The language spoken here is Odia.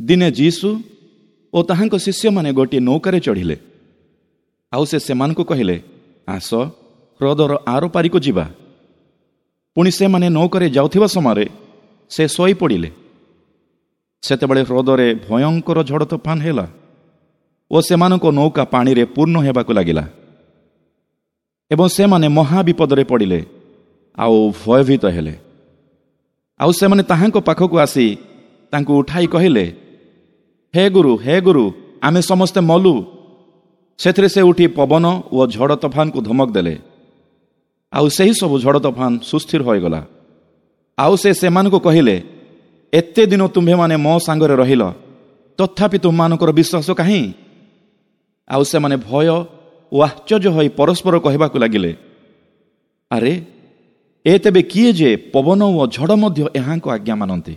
ଦିନେ ଯୀଶୁ ଓ ତାହାଙ୍କ ଶିଷ୍ୟମାନେ ଗୋଟିଏ ନୌକାରେ ଚଢ଼ିଲେ। ଆଉ ସେ ସେମାନଙ୍କୁ କହିଲେ, ଆସ, ହ୍ରଦର ଆରପାରିକୁ ଯିବା। ପୁଣି ସେମାନେ ନୌକାରେ ଯାଉଥିବା ସମୟରେ ସେ ଶୋଇପଡ଼ିଲେ। ସେତେବେଳେ ହ୍ରଦରେ ଭୟଙ୍କର ଝଡ଼ ତୋଫାନ ହେଲା ଓ ସେମାନଙ୍କ ନୌକା ପାଣିରେ ପୂର୍ଣ୍ଣ ହେବାକୁ ଲାଗିଲା ଏବଂ ସେମାନେ ମହାବିପଦରେ ପଡ଼ିଲେ ଆଉ ଭୟଭୀତ ହେଲେ। ଆଉ ସେମାନେ ତାହାଙ୍କ ପାଖକୁ ଆସି ତାଙ୍କୁ ଉଠାଇ କହିଲେ, ହେ ଗୁରୁ, ହେ ଗୁରୁ, ଆମେ ସମସ୍ତେ ମଲୁ। ସେଥିରେ ସେ ଉଠି ପବନ ଓ ଝଡ଼ ତୋଫାନକୁ ଧମକ ଦେଲେ, ଆଉ ସେହି ସବୁ ଝଡ଼ ତୋଫାନ ସୁସ୍ଥିର ହୋଇଗଲା। ଆଉ ସେ ସେମାନଙ୍କୁ କହିଲେ, ଏତେ ଦିନ ତୁମ୍ଭେମାନେ ମୋ ସାଙ୍ଗରେ ରହିଲ, ତଥାପି ତୁମମାନଙ୍କର ବିଶ୍ୱାସ କାହିଁ? ଆଉ ସେମାନେ ଭୟ ଓ ଆଶ୍ଚର୍ଯ୍ୟ ହୋଇ ପରସ୍ପର କହିବାକୁ ଲାଗିଲେ, ଆରେ, ଏ ତେବେ କିଏ ଯେ ପବନ ଓ ଝଡ଼ ମଧ୍ୟ ଏହାଙ୍କ ଆଜ୍ଞା ମାନନ୍ତି?